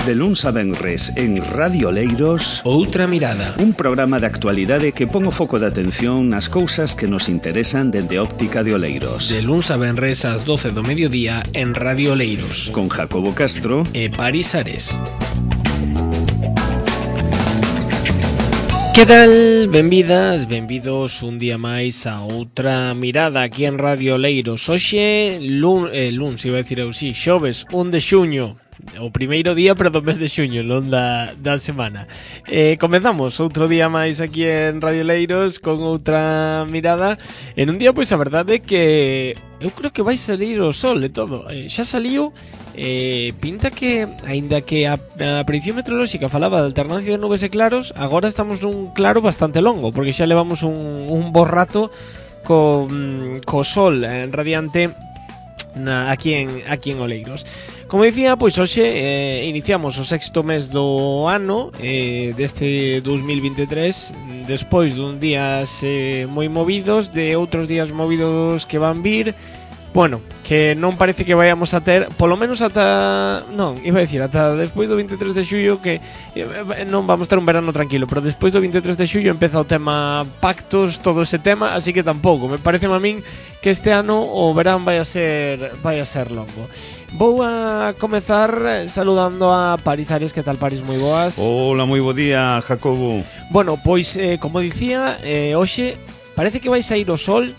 De luns a venres en Radio Oleiros, Outra Mirada, un programa de actualidade que pon o foco de atención nas cousas que nos interesan dende óptica de Oleiros. De luns a venres ás 12 do mediodía en Radio Oleiros, Con Jacobo Castro e Paris Ares. Que tal? Benvidas, benvidos un día máis a Outra Mirada aquí en Radio Oleiros. Hoxe, luns, iba a decir eu, si, xoves, 1 de xuño. O primeiro día, pero do mes de xuño, non da semana. Comezamos outro día máis aquí en Radio Oleiros con Outra Mirada. En un día, pois, a verdade é que eu creo que vai salir o sol e todo. Xa saliu. Pinta que, aínda que a predicción meteorolóxica falaba de alternancia de nubes e claros, agora estamos nun claro bastante longo, porque xa levamos un bo rato co sol radiante aquí en Oleiros. Como dicía, pois hoxe iniciamos o sexto mes do ano deste 2023, despois dun días moi movidos, de outros días movidos que van vir. Bueno, que non parece que vayamos a ter, polo menos ata, non, iba a decir, ata despois do 23 de xullo, que non vamos ter un verano tranquilo, pero despois do 23 de xullo empeza o tema pactos, todo ese tema, así que tampouco, me parece a min que este ano o verán vai a ser longo. Vou a comezar saludando a Paris Ares. Que tal, Paris? Moi boas. Hola, moi bo día, Jacobo. Bueno, pois, como dicía, hoxe parece que vai sair o sol.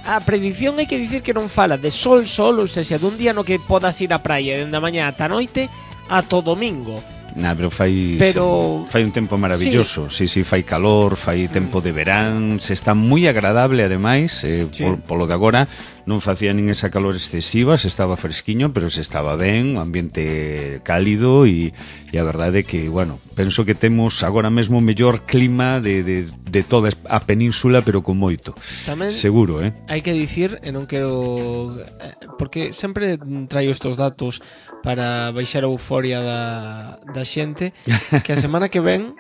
A predicción hai que dicir que non fala de sol, ou seja, dun día no que podas ir á praia dende a mañá ata a noite ata o domingo. Pero fai un tempo maravilloso. Sí, fai calor, fai tempo de verán, se está moi agradable ademais, polo de agora non facía nin esa calor excesiva, se estaba fresquiño, pero se estaba ben, un ambiente cálido e a verdade é que, bueno, penso que temos agora mesmo o mellor clima de toda a península, pero con moito. Tamén seguro, hai que dicir, e non quero, porque sempre traio estes datos para baixar a euforia da xente, que a semana que ven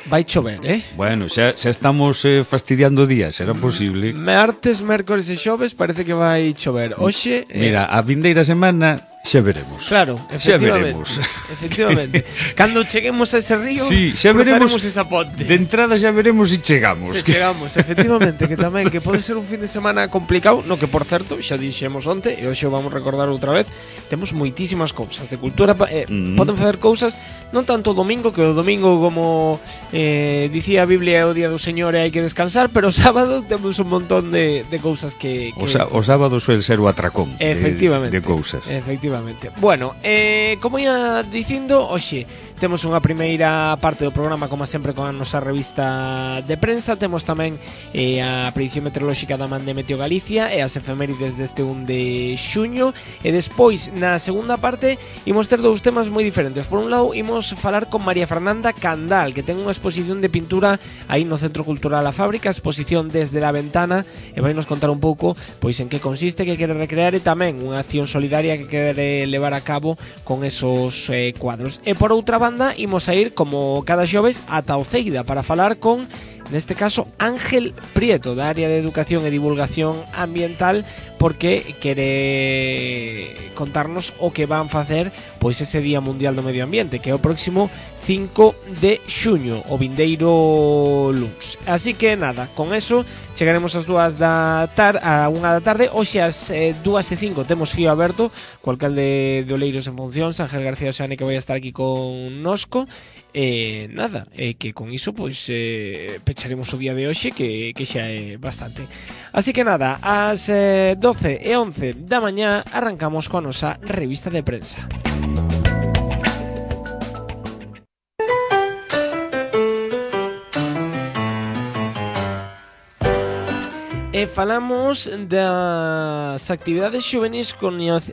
vai chover, Bueno, xa estamos fastidiando días, será posible. Martes, mércores e xoves parece que vai chover. Hoxe, mira, a vindeira semana xa veremos. Claro, efectivamente. Cando cheguemos a ese río, xa veremos esa ponte. De entrada xa veremos se chegamos. Chegamos, efectivamente, que tamén que pode ser un fin de semana complicado, no que por certo, xa dixemos onte, e hoxe vamos recordar outra vez, temos moitísimas cousas de cultura, poden facer cousas, non tanto o domingo, que o domingo, como dicía a Biblia, é o día do Señor e hai que descansar, pero o sábado temos un montón de cousas que o sábado suele ser o atracón de cousas. Efectivamente. Bueno, como ia dicindo, hoxe temos unha primeira parte do programa, como sempre, con a nosa revista de prensa. Temos tamén a predicción meteorolóxica da Man de Meteo Galicia e as efemérides deste 1 de xuño. E despois, na segunda parte, imos ter dous temas moi diferentes. Por un lado, imos falar con María Fernanda Candal, que ten unha exposición de pintura aí no Centro Cultural A Fábrica, exposición Desde la Ventana, e vai nos contar un pouco pois en que consiste, que quere recrear, e tamén unha acción solidaria que quere levar a cabo con esos cuadros. E por outra banda, imos a ir, como cada xoves, ata Oceida para falar con, neste caso, Ángel Prieto, da área de Educación e Divulgación Ambiental, porque quere contarnos o que van facer pois ese Día Mundial do Medio Ambiente, que é o próximo 5 de xuño, o vindeiro luns. Así que nada, con eso chegaremos ás 2 da tarde, a 1 da tarde. Hoxe ás 2:05 temos fío aberto co alcalde de Oleiros en funcións, Ángel García Oseane, que vai estar aquí con nosco. Nada, que con iso pois pecharemos o día de hoxe, que xa é bastante. Así que nada, ás 12:11 da mañá arrancamos coa nosa revista de prensa. E falamos das actividades xuvenis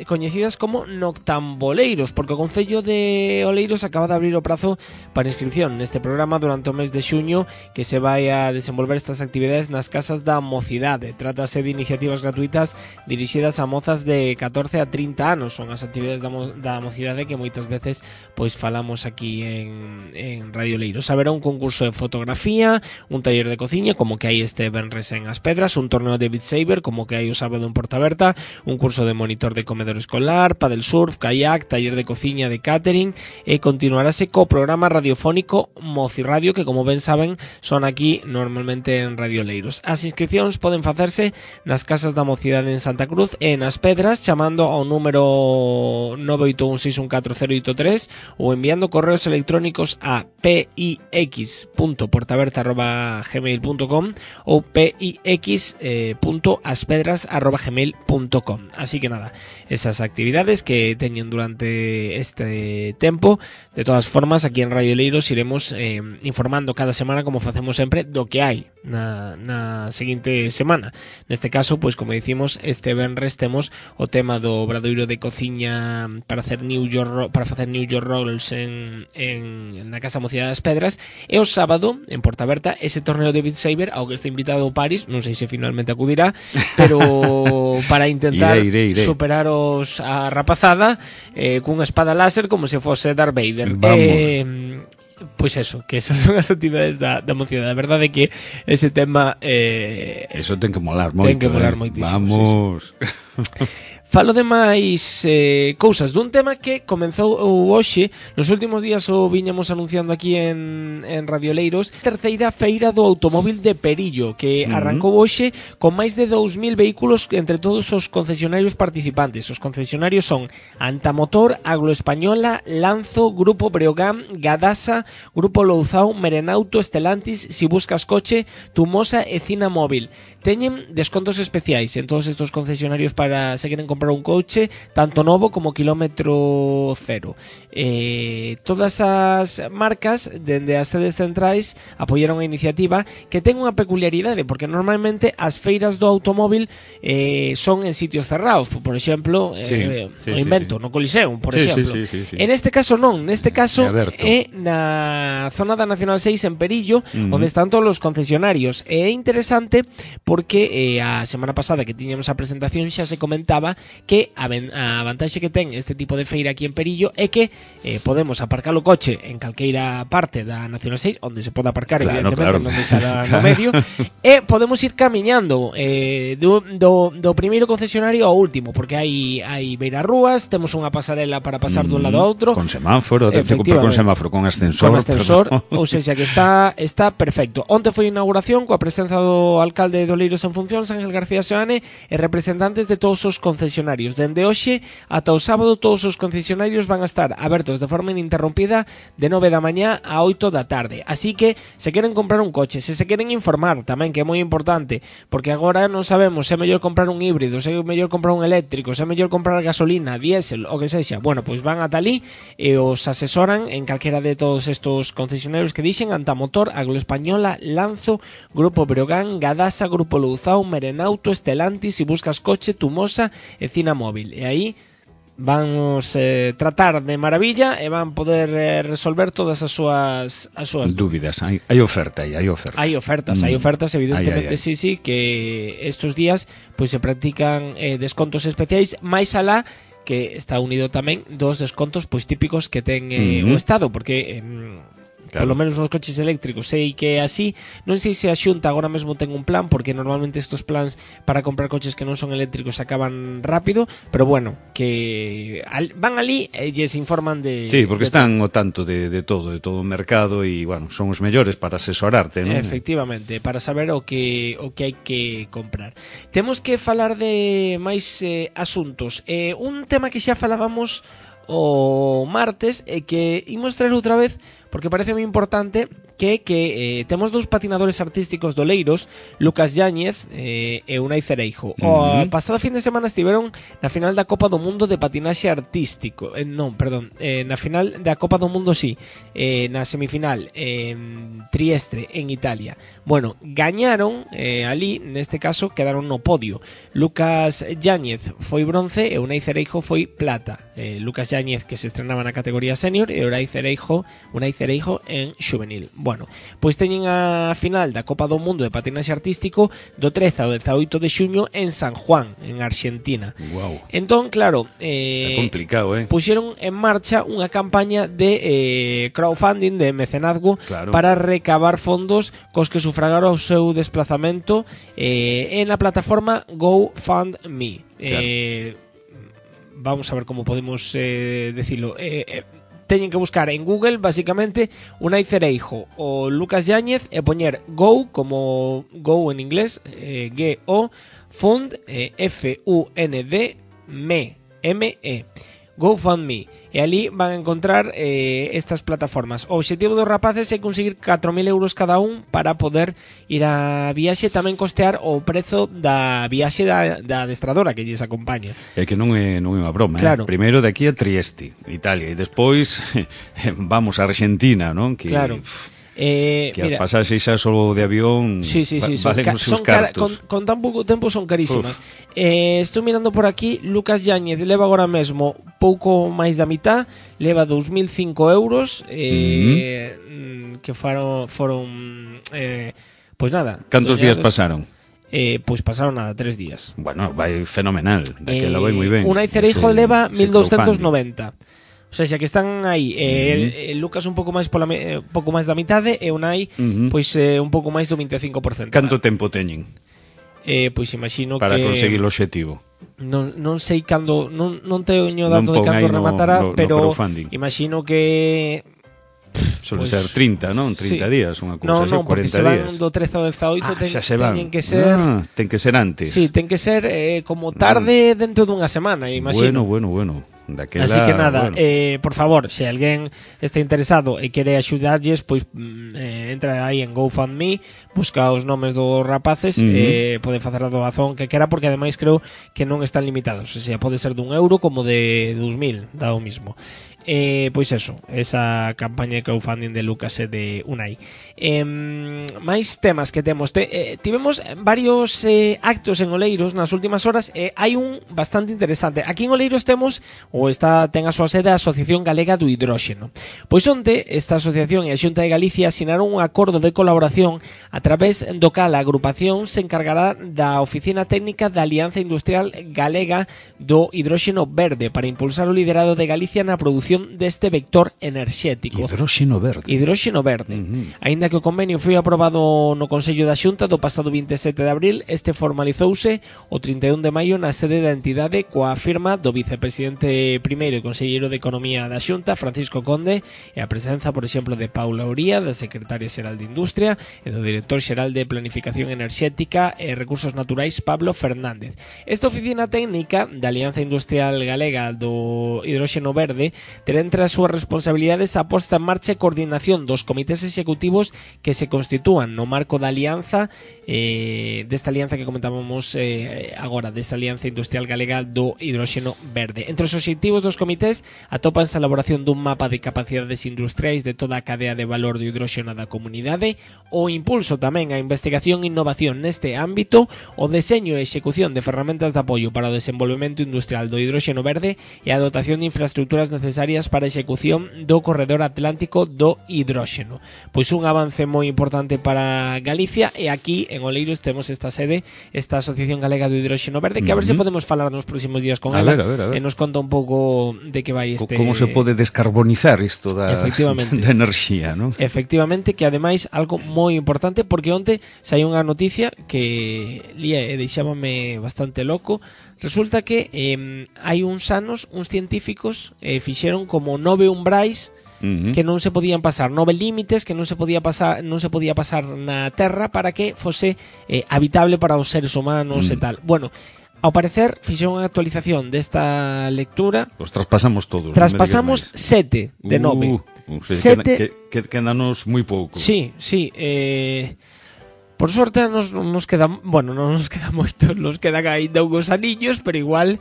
coñecidas como noctamboleiros, porque o Concello de Oleiros acaba de abrir o prazo para inscripción neste programa durante o mes de xuño, que se vai a desenvolver estas actividades nas casas da mocidade. Trátase de iniciativas gratuitas dirixidas a mozas de 14 a 30 anos. Son as actividades da mocidade que moitas veces pois falamos aquí en Radio Oleiros. Haberá un concurso de fotografía, un taller de cociña, como que hai este venres en As Pedras, un torneo de Beat Saber, como que hai o sábado en Portaberta, un curso de monitor de comedor escolar, padel surf, kayak, taller de cociña, de catering, e continuarase co programa radiofónico Mocirradio, que como ben saben son aquí normalmente en Radio Leiros. As inscripcións poden facerse nas casas da Mocidade en Santa Cruz e nas Pedras chamando ao número 981614083 ou enviando correos electrónicos a pix.portaberta@gmail.com ou pix.aspedras@gmail.com. Así que nada, esas actividades que teñen durante este tempo. De todas formas, aquí en Radio Leiros iremos informando cada semana, como facemos sempre, do que hai na seguinte semana. Neste caso, pois como dicimos, este venres temos o tema do obradoiro de cociña para facer New York Rolls na Casa Mocidade das Pedras, e o sábado en Portaberta ese torneo de Beat Saber ao que está invitado o Paris, non sei se finalmente acudirá, pero para intentar iré. Superaros a rapazada cunha espada láser como se fose Darth Vader. Pois eso, que esas son as actividades da Mocidade. A verdade é que ese tema eso ten que molar moito. Ten que molar moitísimo. Vamos. Sí. Falo de máis cousas dun tema que comenzou hoxe. Nos últimos días o viñamos anunciando aquí en Radio Leiros, terceira feira do automóvil de Perillo, que arrancou hoxe con máis de 2000 vehículos entre todos os concesionarios participantes. Os concesionarios son Antamotor, Agloespañola, Lanzo, Grupo Breogán, Gadasa, Grupo Louzao, Merenauto, Estelantis, Si Buscas Coche, Tumosa e Cina Móvil. Teñen descontos especiais en todos estos concesionarios para se queren comprar un coche tanto novo como kilómetro cero. Todas as marcas dende as sedes centrais apoiaron a iniciativa, que ten unha peculiaridade, porque normalmente as feiras do automóvil son en sitios cerrados, por exemplo, no Coliseum, por exemplo. Sí. En este caso non, neste caso é na zona da Nacional 6 en Perillo, onde están todos os concesionarios. É interesante porque a semana pasada que tiñamos a presentación xa se comentaba que a vantaxe que ten este tipo de feira aquí en Perillo é que podemos aparcar o coche en calqueira parte da Nacional 6, onde se pode aparcar, evidentemente, non deixar no medio, e podemos ir camiñando do primeiro concesionario ao último, porque hai beirarrúas, temos unha pasarela para pasar dun lado a outro, con semáforo, con semáforo, con ascensor, ou seja, que está perfecto. Onte foi a inauguración coa presenza do alcalde de Oleiros en funcións, Ángel García Seoane, e representantes de todos os concesionarios. Dende hoxe ata o sábado todos os concesionarios van a estar abertos de forma ininterrompida de 9 da mañá a 8 da tarde. Así que se queren comprar un coche, se queren informar tamén, que é moi importante, porque agora non sabemos se é mellor comprar un híbrido, se é mellor comprar un eléctrico, se é mellor comprar gasolina, diésel, o que sexa. Bueno, pois van ata ali e os asesoran en calquera de todos estos concesionarios que dixen: Antamotor, Agloespañola, Lanzo, Grupo Breogán, Gadasa, Grupo Louzao, Merenauto, Estelantis, Si Buscas Coche, Tumosa e Cina Móvil. E aí vamos tratar de maravilla e van poder resolver todas as súas dúbidas. Hai oferta. Hai ofertas, evidentemente. Sí, que estos días pois se practican descontos especiais, máis alá que está unido tamén dos descontos pois típicos que ten o Estado, porque claro, polo menos nos coches eléctricos sei que é así. Non sei se a Xunta agora mesmo ten un plan, porque normalmente estos plans para comprar coches que non son eléctricos acaban rápido, pero bueno, que van ali e lles informan de... Sí, porque están ao tanto de todo o mercado, e bueno, son os mellores para asesorarte, non? Efectivamente, para saber o que hai que comprar. Temos que falar de máis asuntos. Un tema que xa falábamos o martes e que imos traer outra vez porque parece moi importante, que temos dous patinadores artísticos do Leiros, Lucas Yáñez e Unai Cereijo. O pasada fin de semana estiveron na final da Copa do Mundo de patinaxe artístico. Na final da Copa do Mundo, na semifinal en Trieste, en Italia. Bueno, gañaron ali, neste caso quedaron no podio. Lucas Yáñez foi bronce e Unai Cereijo foi plata. Lucas Yáñez, que se estrenaba na categoría senior, e Unai Cereijo en juvenil. Bueno, Bueno, pois teñen a final da Copa do Mundo de Patinaxe Artístico do 13 ao 18 de xuño en San Juan, en Argentina. Wow. Entón, claro, está complicado, puxeron en marcha unha campaña de crowdfunding, de mecenazgo, claro, para recabar fondos cos que sufragar o seu desplazamento en a plataforma GoFundMe. Claro. Vamos a ver como podemos decirlo. Teñen que buscar en Google, básicamente, Unai Cereijo o Lucas Yáñez e poñer Go, como Go en inglés, G-O, Fund, F-U-N-D, M-E, GoFundMe. E ali van a encontrar estas plataformas. O objetivo dos rapaces é conseguir 4.000 euros cada un para poder ir a viaxe, tamén costear o prezo da viaxe da adestradora que lles acompaña. É que non é unha broma, claro. Primeiro de aquí a Trieste, Italia, e despois vamos a Argentina, non? Que, claro. Que mira, as pasaxes xa solo de avión valen os seus cartos. Con tan pouco tempo son carísimas. Estou mirando por aquí, Lucas Yáñez leva agora mesmo pouco máis da mitad, leva 2.005 euros, que foron pois nada. Cantos días pasaron? Pois pasaron nada, 3 días. Bueno, vai fenomenal, daquela vai moi ben. Unai Cereijo leva 1.290. O sea, xa que están aí, Lucas un pouco máis pouco máis da mitade e Unai pois un pouco máis do 25%. Canto tempo teñen? Pois imagino para que conseguir o objetivo. Non sei cando, non teño dato de cando rematará, pero imagino que suele ser 30, non? 30 días, unha cousa así, 40 días. Non, porque se van do 13 ao 18 teñen que ser... ten que ser antes. Sí, ten que ser como tarde dentro dunha semana, imagino. Bueno. Daquela, así que nada, por favor, se alguén está interesado e quere axudarlles, pois entra aí en GoFundMe, busca os nomes dos rapaces e pode facer a doazón que quera, porque ademais creo que non están limitados, o sea, pode ser de €1 como de 2.000, dá o mismo. Pois eso, esa campaña de crowdfunding de Lucas e de Unai. Máis temas que temos, tivemos varios actos en Oleiros nas últimas horas, hai un bastante interesante. Aquí en Oleiros temos, ten a súa sede a Asociación Galega do Hidróxeno. Pois onte esta asociación e a Xunta de Galicia asinaron un acordo de colaboración a través do cal a agrupación se encargará da Oficina Técnica da Alianza Industrial Galega do Hidróxeno Verde para impulsar o liderado de Galicia na produción deste vector enerxético. Hidróxeno verde. Aínda que o convenio foi aprobado no Consello da Xunta do pasado 27 de abril, este formalizouse o 31 de maio na sede da entidade coa firma do vicepresidente primeiro e conselleiro de Economía da Xunta, Francisco Conde, e a presenza, por exemplo, de Paula Uría, da secretaria xeral de Industria, e do director xeral de Planificación Enerxética e Recursos Naturais, Pablo Fernández. Esta oficina técnica da Alianza Industrial Galega do Hidróxeno Verde terá entre as súas responsabilidades a posta en marcha e coordinación dos comités executivos que se constitúan no marco da alianza, desta alianza que comentábamos agora, desta Alianza Industrial Galega do Hidróxeno Verde. Entre os obxectivos dos comités atópanse a elaboración dun mapa de capacidades industriais de toda a cadea de valor do hidróxeno da comunidade, o impulso tamén a investigación e innovación neste ámbito, o deseño e execución de ferramentas de apoio para o desenvolvemento industrial do hidróxeno verde e a dotación de infraestructuras necesarias para a execución do corredor atlántico do hidróxeno. Pois un avance moi importante para Galicia, e aquí en Oleiros temos esta sede, esta Asociación Galega do Hidróxeno Verde, que a ver se podemos falar nos próximos días con ela e nos conta un pouco de que vai este... Como se pode descarbonizar isto da enerxía, non? Efectivamente, que ademais algo moi importante, porque onte sai unha noticia que lía e deixábame bastante loco. Resulta que hai uns anos uns científicos fixeron como 9 umbrais que non se podían pasar, 9 límites que non se podía pasar na Terra para que fose habitable para os seres humanos e tal. Bueno, ao parecer fixeron unha actualización desta lectura. Os traspasamos todos. Traspasamos 7 de 9. 7 quedanos moi pouco. Sí. Por sorte nos queda, bueno, non nos queda moito, nos quedan ainda uns aniños, pero igual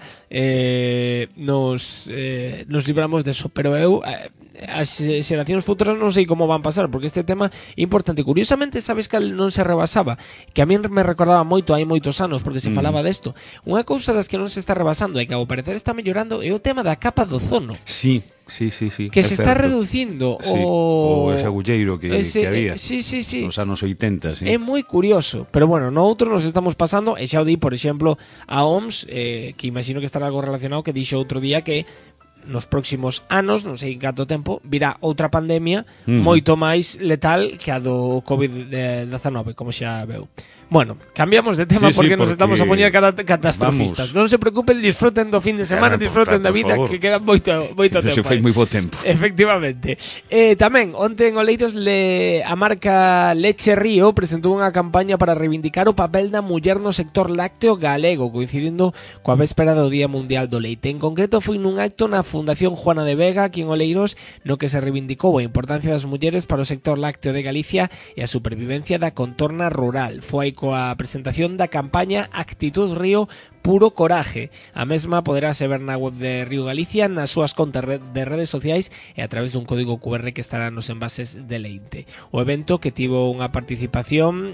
nos libramos deso. Pero eu, as xeracións futuras non sei como van pasar, porque este tema é importante. Curiosamente, sabes que non se rebasaba, que a mí me recordaba moito hai moitos anos, porque se falaba desto. Unha cousa das que non se está rebasando e que ao parecer está mellorando é o tema da capa do ozono. Sí, que se está reducindo o ese agulleiro que había nos anos 80, É moi curioso, pero bueno, noutros nos estamos pasando, e xa o di, por exemplo, a OMS, que imagino que estará algo relacionado, que dixo outro día que nos próximos anos, non sei en canto tempo, virá outra pandemia moito máis letal que a do COVID-19, como xa veu. Bueno, cambiamos de tema porque nos estamos a poñer catastrofistas. Non se preocupen, disfruten do fin de semana, disfruten da vida, que queda moito tempo. Se fai moi bo tempo. Efectivamente. Tamén, onte en Oleiros a marca Leche Río presentou unha campaña para reivindicar o papel da muller no sector lácteo galego, coincidindo coa véspera do Día Mundial do Leite. En concreto, foi nun acto na Fundación Juana de Vega, aquí en Oleiros, no que se reivindicou a importancia das mulleres para o sector lácteo de Galicia e a supervivencia da contorna rural. Foi coa presentación da campaña Actitud Río Puro Coraje. A mesma poderase ver na web de Río Galicia, nas súas contas de redes sociais e a través dun código QR que estará nos envases de leite. O evento, que tivo unha participación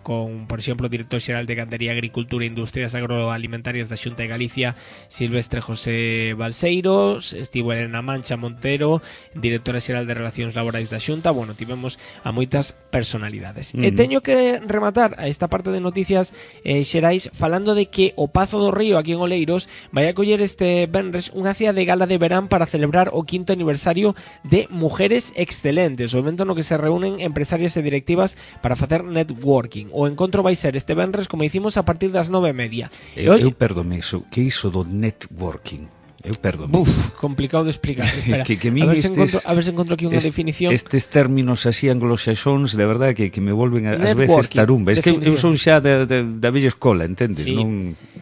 con, por exemplo, o director xeral de Gandería, Agricultura e Industrias Agroalimentarias da Xunta de Galicia, Silvestre José Balseiros, estivo Elena Mancha Montero, directora xeral de Relacións Laborais da Xunta. Bueno, tivemos a moitas personalidades. E teño que rematar a esta parte de noticias xerais falando de que o Pazo do Río, aquí en Oleiros, vai a coller este venres unha cea de gala de verán para celebrar o 5º aniversario de Mujeres Excelentes, o evento no que se reúnen empresarias e directivas para facer networking. O encontro vai ser este venres, como dicimos, a partir das 9:30. Eu perdome iso, que iso do networking? Eu perdome. Complicado de explicar. Espera, que a ver se encontro aquí unha definición. Estes términos así anglosaxóns, de verdade, que me volven ás veces tarumba. É que eu son xa da vella escola, entendes? Sí.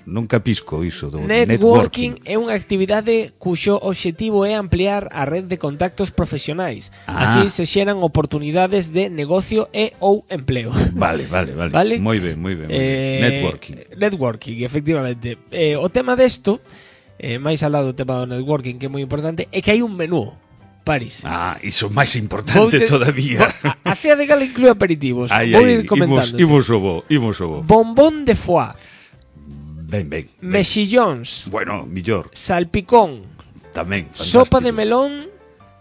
Non capisco iso do networking. É unha actividade cuxo obxectivo é ampliar a red de contactos profesionais. Así se xeran oportunidades de negocio e ou empleo. Vale. Moi ben. Networking, efectivamente. O tema desto, máis al lado do tema do networking, que é moi importante, é que hai un menú, París. Iso máis importante todavía. A cea de gala inclúe aperitivos. Vou ir comentando. Imos o bo. Bombón de foie. Ben. Mexillóns. Bueno, millor. Salpicón. Tamén, fantástico. Sopa de melón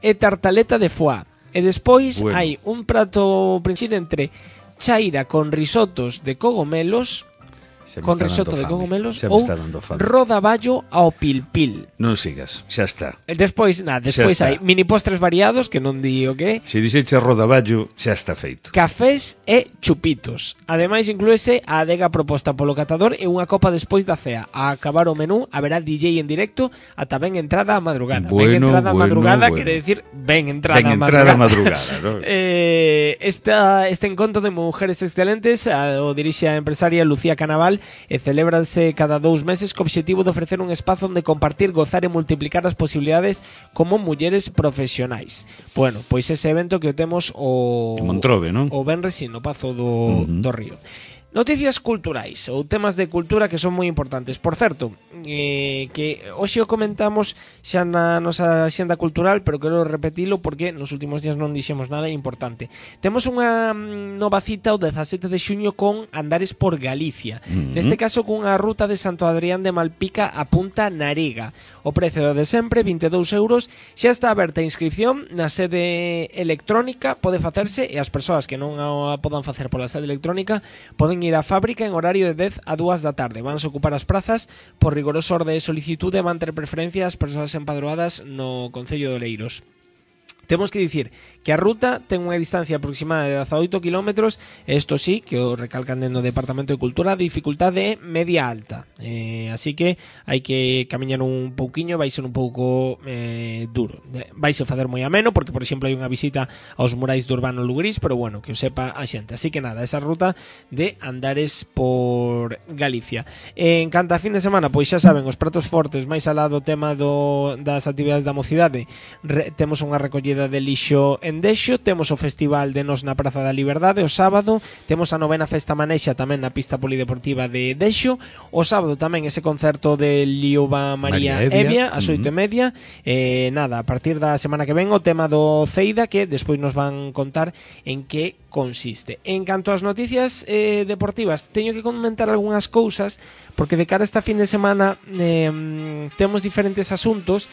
e tartaleta de foie. E despois hai un prato principal entre chaira con risotos de cogomelos, con risotto de cogomelos ou rodaballo ao pilpil. Non sigas, xa está. Despois hai mini postres variados, que non di o que. Se dixeche rodaballo, xa está feito. Cafés e chupitos. Ademais, inclúese a adega proposta polo catador e unha copa despois da cea. A acabar o menú, haberá DJ en directo ata ben entrada a madrugada. Ben entrada a madrugada quere decir ben entrada a madrugada, ¿no? Este encontro de Mujeres Excelentes o dirixe a empresaria Lucía Canaval e celébranse cada 2 meses co obxectivo de ofrecer un espazo onde compartir, gozar e multiplicar as posibilidades como mulleres profesionais. Bueno, pois ese evento que o temos o Montrobe, non? O venres no Pazo do Río. Noticias culturais ou temas de cultura que son moi importantes. Por certo, que hoxe o comentamos xa na nosa xenda cultural, pero quero repetilo porque nos últimos días non dixemos nada importante. Temos unha nova cita o 17 de xuño con Andares por Galicia. Neste caso cunha ruta de Santo Adrián de Malpica a Punta Narega. O prezo de sempre, 22 euros. Xa está aberta a inscripción na sede electrónica, pode facerse, e as persoas que non a podan facer pola sede electrónica poden ir á fábrica en horario de 10 a 2 da tarde. Vanse ocupar as prazas por rigoroso orde de solicitude e van ter preferencia as persoas empadroadas no Concello de Oleiros. Temos que dicir que a ruta ten unha distancia aproximada de 18 km, isto sí, que o recalcan dentro do Departamento de Cultura, de dificultade media alta. Así que hai que camiñar un pouquiño, vai ser un pouco duro. Vaise facer moi ameno, porque, por exemplo, hai unha visita aos murais do Urbano Lugrís, pero bueno, que o sepa a xente. Así que nada, esa ruta de Andares por Galicia. En canto a fin de semana, pois xa saben, os pratos fortes, máis alá do tema das actividades da mocidade, temos unha recollida de lixo en Dexo, temos o Festival de Nos na Praza da Liberdade o sábado, temos a 9ª Festa Manexa tamén na pista polideportiva de Dexo, o sábado tamén ese concerto de Liuba María Evia ás 8:30. Nada, a partir da semana que ven o tema do Ceida, que despois nos van contar en que consiste. En canto ás noticias deportivas, teño que comentar algunhas cousas, porque de cara a esta fin de semana temos diferentes asuntos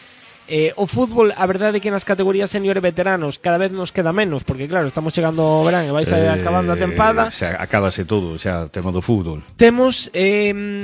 O fútbol, a verdade é que nas categorías senior e veteranos cada vez nos queda menos, porque claro, estamos chegando ao verán e vais acabando a tempada. Xa acábase todo, xa tema do fútbol. Temos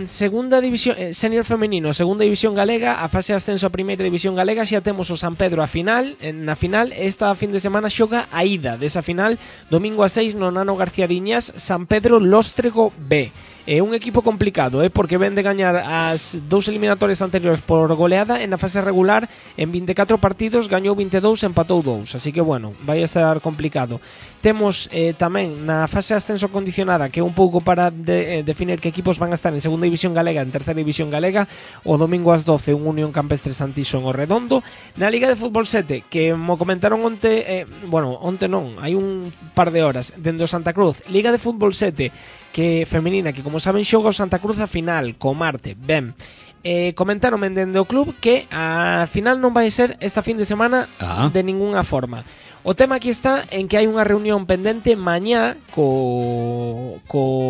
segunda división senior femenino, segunda división galega, a fase de ascenso a primeira división galega, xa temos o San Pedro a final, na final esta fin de semana xoga a ida desa final, domingo a 6 no Nano García Diñas, San Pedro Lóstrego B. É un equipo complicado, porque ven de gañar as dous eliminatorias anteriores por goleada. En a fase regular, en 24 partidos, gañou 22, empatou 2. Así que, bueno, vai a ser complicado. Temos tamén na fase de ascenso condicionada, que é un pouco para definir que equipos van a estar en segunda división galega, en terceira división galega, o domingo ás 12, un Unión Campestre Santiso en Orredondo. Na Liga de Fútbol 7, que mo comentaron onte, onte non, hai un par de horas, dende o Santa Cruz, Liga de Fútbol 7, que femenina, que como saben xoga o Santa Cruz a final co Marte. Ben, comentaron dende o club que a final non vai ser esta fin de semana de ninguna forma. O tema aquí está en que hai unha reunión pendente mañá co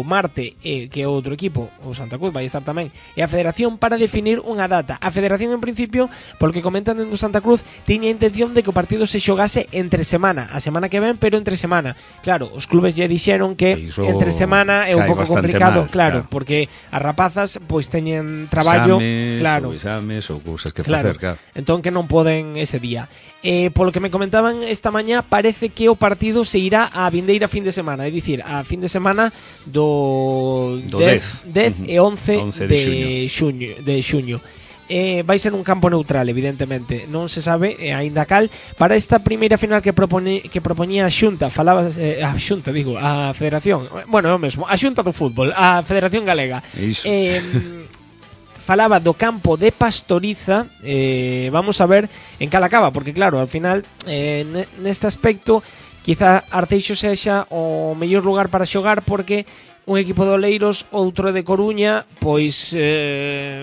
Marte, que é outro equipo, o Santa Cruz vai estar tamén, e a Federación para definir unha data. A Federación en principio, porque comentan dentro do Santa Cruz, tiña intención de que o partido se xogase entre semana, a semana que ven, pero entre semana. Claro, os clubes lle dixeron que entre semana é un pouco complicado, claro, porque as rapazas pois teñen traballo, exames ou cousas que facer, claro. Entón que non poden ese día. Polo que me comentaban esta mañá, parece que o partido se irá a vindeira fin de semana, é dicir, a fin de semana do 10 e 11 de xuño. Vai ser un campo neutral, evidentemente. Non se sabe aínda cal. Para esta primeira final que propoñía a Xunta, falaba a Federación, bueno, é o mesmo, a Xunta do Fútbol, a Federación Galega. Falaba do campo de Pastoriza. Vamos a ver en cal acaba, porque claro, al final neste aspecto quizá Arteixo sexa o mellor lugar para xogar, porque un equipo de Oleiros, outro de Coruña, pois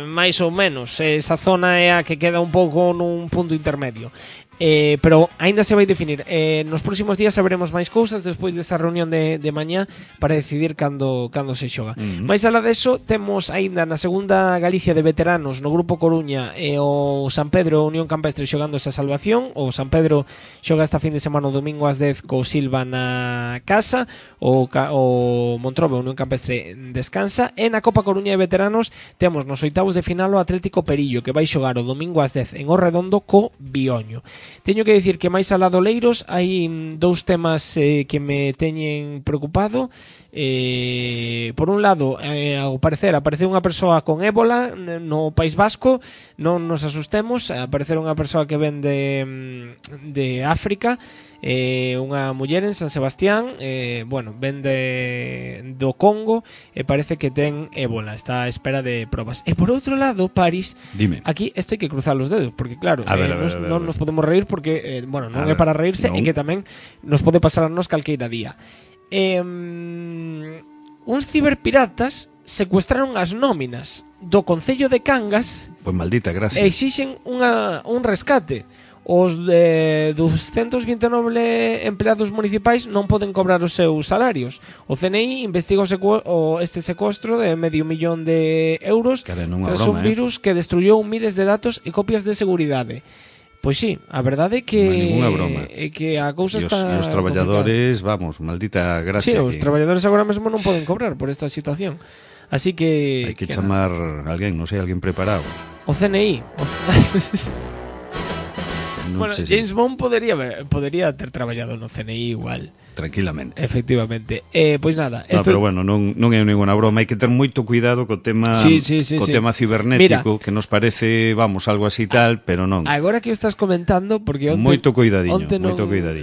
máis ou menos esa zona é a que queda un pouco nun punto intermedio. Pero aínda se vai definir. Nos próximos días saberemos máis cousas despois desa reunión de mañá para decidir cando se xoga. Mais alá deso, temos aínda na segunda Galicia de veteranos no Grupo Coruña o San Pedro Unión Campestre xogando esa salvación. O San Pedro xoga esta fin de semana o domingo ás 10 co Silva na casa, o Montrobe Unión Campestre descansa. E na Copa Coruña de veteranos temos nos oitavos de final o Atlético Perillo, que vai xogar o domingo ás 10 en Orredondo co Bioño. Teño que dicir que máis alá do Leiros hai dous temas que me teñen preocupado. Por un lado, ao parecer apareceu unha persoa con ébola no País Vasco. Non nos asustemos, apareceu unha persoa que ven de África, unha muller en San Sebastián, ven do Congo, e parece que ten ébola, está a espera de probas. E por outro lado, Paris, dime. Aquí esto hai que cruzar os dedos, porque claro, non nos podemos reír, porque non é para reírse, e que tamén nos pode pasar a nos calqueira día. Uns ciberpiratas secuestraron as nóminas do Concello de Cangas. Pois maldita gracia. E exixen un rescate. Os 229 empleados municipais non poden cobrar os seus salarios. O CNI investiga este secuestro de €500,000 tras un virus que destruyou miles de datos e copias de seguridade. Pois sí, a verdade é que a cousa está... E os traballadores, vamos, maldita gracia. Sí, os traballadores agora mesmo non poden cobrar por esta situación. Así que... Hai que chamar alguén, non sei, alguén preparado. O CNI. Bueno, James Bond podería ter traballado no CNI igual. Tranquilamente. Efectivamente. Pois nada, pero bueno, non é ninguna broma, hai que ter moito cuidado co tema tema cibernético. Mira, que nos parece, vamos, algo así tal, pero non. Agora que o estás comentando, porque moito cuidadiño.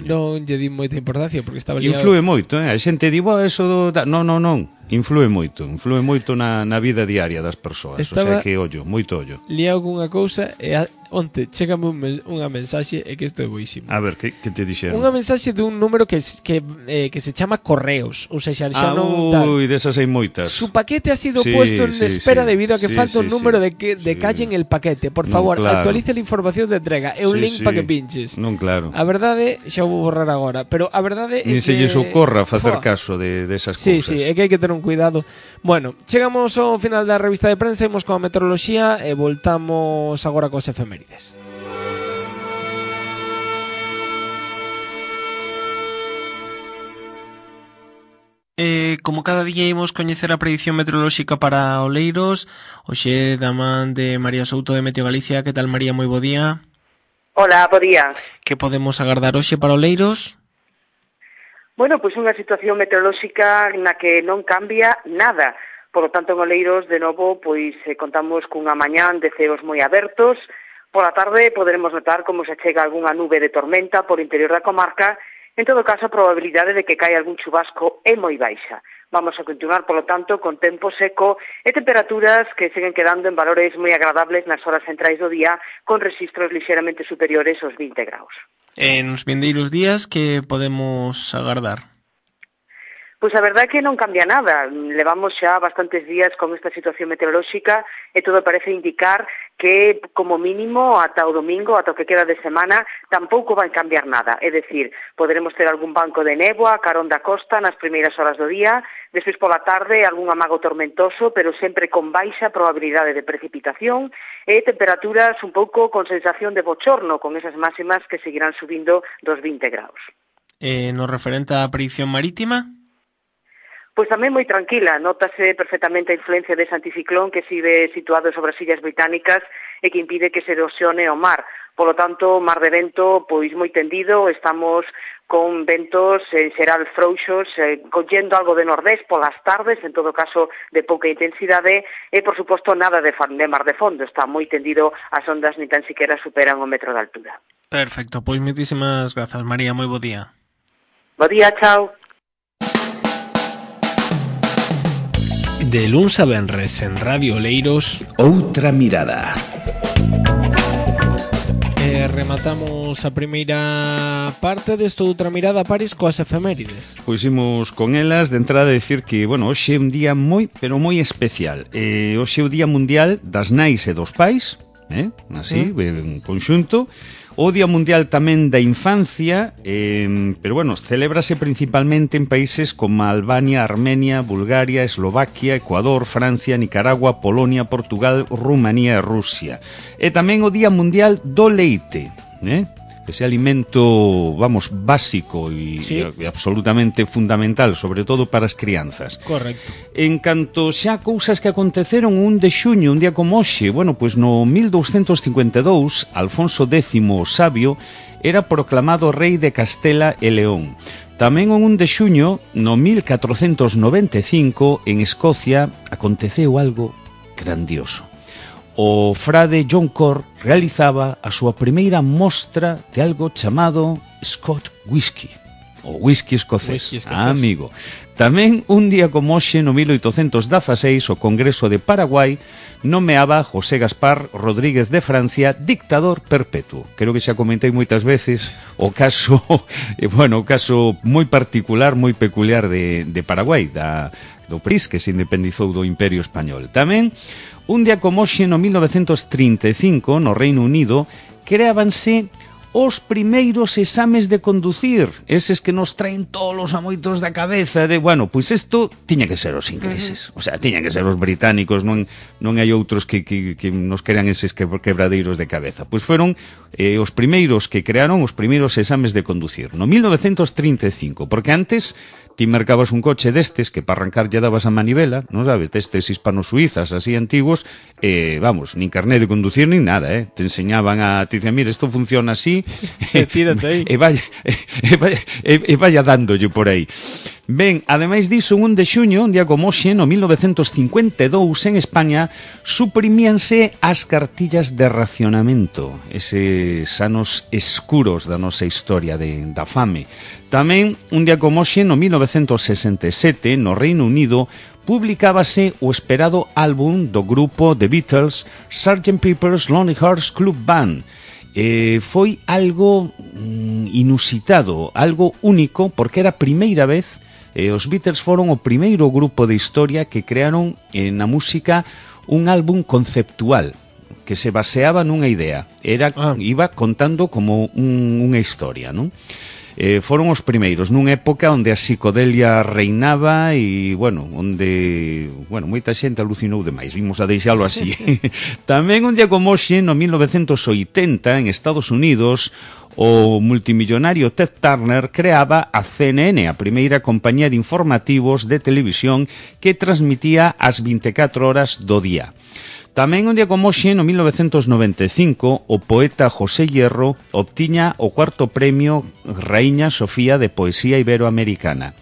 Non lle di moita importancia porque estaba liado. Influe moito, a xente di, eso non. Influe moito na vida diaria das persoas. O sea que, moito ollo. Liado cunha cousa e onte chégame unha mensaxe, e que isto é boísimo. A ver, que te dixeron? Unha mensaxe dun número que se chama Correos, ou seja, xa non tal. Desas hai moitas. Su paquete ha sido puesto en espera debido a que falta un número de calle en el paquete. Por favor, actualice la información de entrega. É un link para que pinches. Non, claro. A verdade, xa vou borrar agora, pero a verdade é que... Nin se lles ocorra facer caso desas cousas. Sí, é que hai que ter un cuidado. Bueno, chegamos ao final da revista de prensa, imos coa meteoroloxía e voltamos agora cos efemérides. Como cada día imos coñecer a predición meteorolóxica para Oleiros, hoxe da man de María Souto de Meteo Galicia. Que tal, María? Moi bo día. Hola, bo día. Que podemos agardar hoxe para Oleiros? Bueno, pois unha situación meteorolóxica na que non cambia nada. Por lo tanto, en Oleiros, de novo, pois contamos cunha mañán de ceos moi abertos. Pola tarde poderemos notar como se chega algunha nube de tormenta por interior da comarca. En todo caso, a probabilidade de que caia algún chubasco é moi baixa. Vamos a continuar, polo tanto, con tempo seco e temperaturas que seguen quedando en valores moi agradables nas horas centrais do día, con registros lixeramente superiores aos 20 graus. Nos vindeiros días, que podemos agardar? Pois a verdade é que non cambia nada. Levamos xa bastantes días con esta situación meteorolóxica e todo parece indicar que, como mínimo, ata o domingo, ata o que queda de semana, tampouco vai cambiar nada. É dicir, poderemos ter algún banco de néboa carón da costa nas primeiras horas do día, despois pola tarde algún amago tormentoso, pero sempre con baixa probabilidade de precipitación e temperaturas un pouco con sensación de bochorno, con esas máximas que seguirán subindo dos 20 graus. No referente á predicción marítima? Pois tamén moi tranquila, notase perfectamente a influencia dese anticiclón que sigue situado sobre as Illas Británicas e que impide que se erosione o mar. Polo tanto, mar de vento pois moi tendido, estamos con ventos en xeral frouxos, collendo algo de nordés polas tardes, en todo caso de pouca intensidade, e por suposto nada de mar de fondo, está moi tendido, as ondas ni tan siquiera superan o metro de altura. Perfecto, pois moitísimas grazas, María, moi bo día. Bo día, chao. De luns a venres en Radio Oleiros, Outra Mirada. Rematamos a primeira parte desta Outra Mirada, Paris, coas efemérides. Pois imos con elas. De entrada decir que, bueno, hoxe é un día moi, pero moi especial. Hoxe é o Día Mundial das Nais e dos Pais, así, en conxunto. O Día Mundial tamén da Infancia, pero bueno, celébrase principalmente en países como Albania, Armenia, Bulgaria, Eslovaquia, Ecuador, Francia, Nicaragua, Polonia, Portugal, Rumanía e Rusia. E tamén o Día Mundial do Leite, ese alimento, vamos, básico e absolutamente fundamental, sobre todo para as crianzas. Correcto. En canto xa cousas que aconteceron un de xuño, un día como hoxe, bueno, pois no 1252, Alfonso X o Sabio era proclamado rei de Castela e León. Tamén un de xuño, no 1495, en Escocia, aconteceu algo grandioso. O frade John Corr realizaba a súa primeira mostra de algo chamado Scotch Whisky, o whisky escocés. Amigo. Tamén un día como hoxe, no 1816, o Congreso de Paraguai nomeaba a José Gaspar Rodríguez de Francia dictador perpetuo. Creo que xa comentei moitas veces o caso, o caso moi particular, moi peculiar de Paraguai, do país que se independizou do Imperio Español. Tamén un día como hoxe, no 1935, no Reino Unido, creábanse os primeiros exames de conducir, eses que nos traen tolos a moitos da cabeza de, bueno, pois isto tiña que ser os ingleses, o sea, tiña que ser os británicos, non hai outros que nos crean eses quebradeiros de cabeza. Pois foron os primeiros que crearon os primeiros exames de conducir, no 1935, porque antes ti mercabas un coche destes que para arrancar lle dabas a manivela, non sabes, destes hispano-suizas así antigos, vamos, nin carné de conducir nin nada, te enseñaban te dicen, mira, isto funciona así, tírate aí. E vaya dándolle por aí. Ben, ademais diso, un de xuño, un día como hoxe, no 1952, en España, suprimíanse as cartillas de racionamento, eses anos escuros da nosa historia da fame. Tamén, un día como hoxe, no 1967, no Reino Unido, publicábase o esperado álbum do grupo The Beatles, Sgt. Pepper's Lonely Hearts Club Band. Foi algo inusitado, algo único, porque era a primeira vez. Os Beatles foron o primeiro grupo de historia que crearon na música un álbum conceptual que se baseaba nunha idea. Iba contando como unha historia, non? Foron os primeiros nunha época onde a psicodelia reinaba e, onde moita xente alucinou demais, vimos a deixalo así. Tamén un día como hoxe, no 1980, en Estados Unidos, o multimillonario Ted Turner creaba a CNN, a primeira compañía de informativos de televisión que transmitía as 24 horas do día. Tamén un día como hoxe, no 1995, o poeta José Hierro obtiña o cuarto premio Raíña Sofía de Poesía Iberoamericana.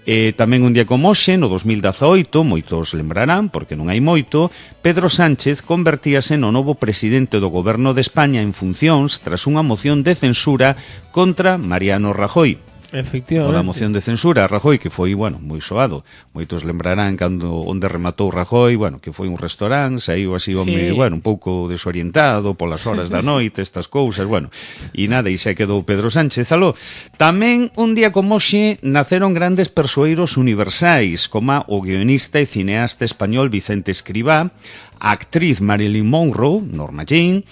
Tamén un día como hoxe, no 2018, moitos lembrarán, porque non hai moito, Pedro Sánchez convertíase no novo presidente do Goberno de España en funcións tras unha moción de censura contra Mariano Rajoy. Efectivamente. A moción de censura a Rajoy, que foi, bueno, moi soado. Moitos lembrarán cando onde rematou Rajoy, bueno, que foi un restaurante, saiu así, home, bueno, un pouco desorientado polas horas da noite, estas cousas, bueno, e nada, e xa quedou Pedro Sánchez aló. Tamén un día como hoxe naceron grandes persoeiros universais, como o guionista e cineasta español Vicente Escribá, a actriz Marilyn Monroe, Norma Jean,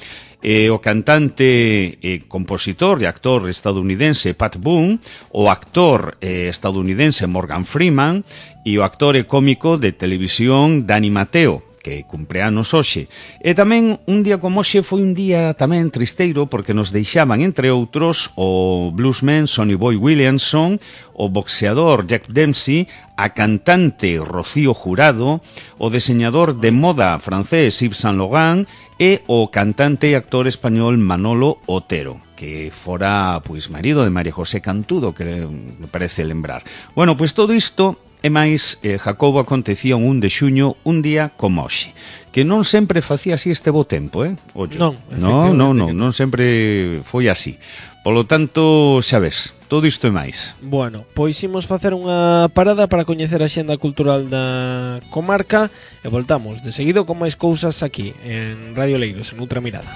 o cantante, compositor e actor estadounidense Pat Boone, o actor estadounidense Morgan Freeman e o actor e cómico de televisión Dani Mateo, que cumpre anos hoxe. E tamén un día como hoxe foi un día tamén tristeiro porque nos deixaban, entre outros, o bluesman Sonny Boy Williamson, o boxeador Jack Dempsey, a cantante Rocío Jurado, o diseñador de moda francés Yves Saint Laurent e o cantante e actor español Manolo Otero, que fora, pois, marido de María José Cantudo, que me parece lembrar. Bueno, pois todo isto e máis, Jacobo, acontecía un 1 de xuño, un día como hoxe, que non sempre facía así este bo tempo, Ollo. Non sempre foi así. Polo tanto, xa ves, todo isto e máis. Bueno, pois imos facer unha parada para coñecer a xenda cultural da comarca e voltamos de seguido con máis cousas aquí en Radio Leiros, en Outra Mirada.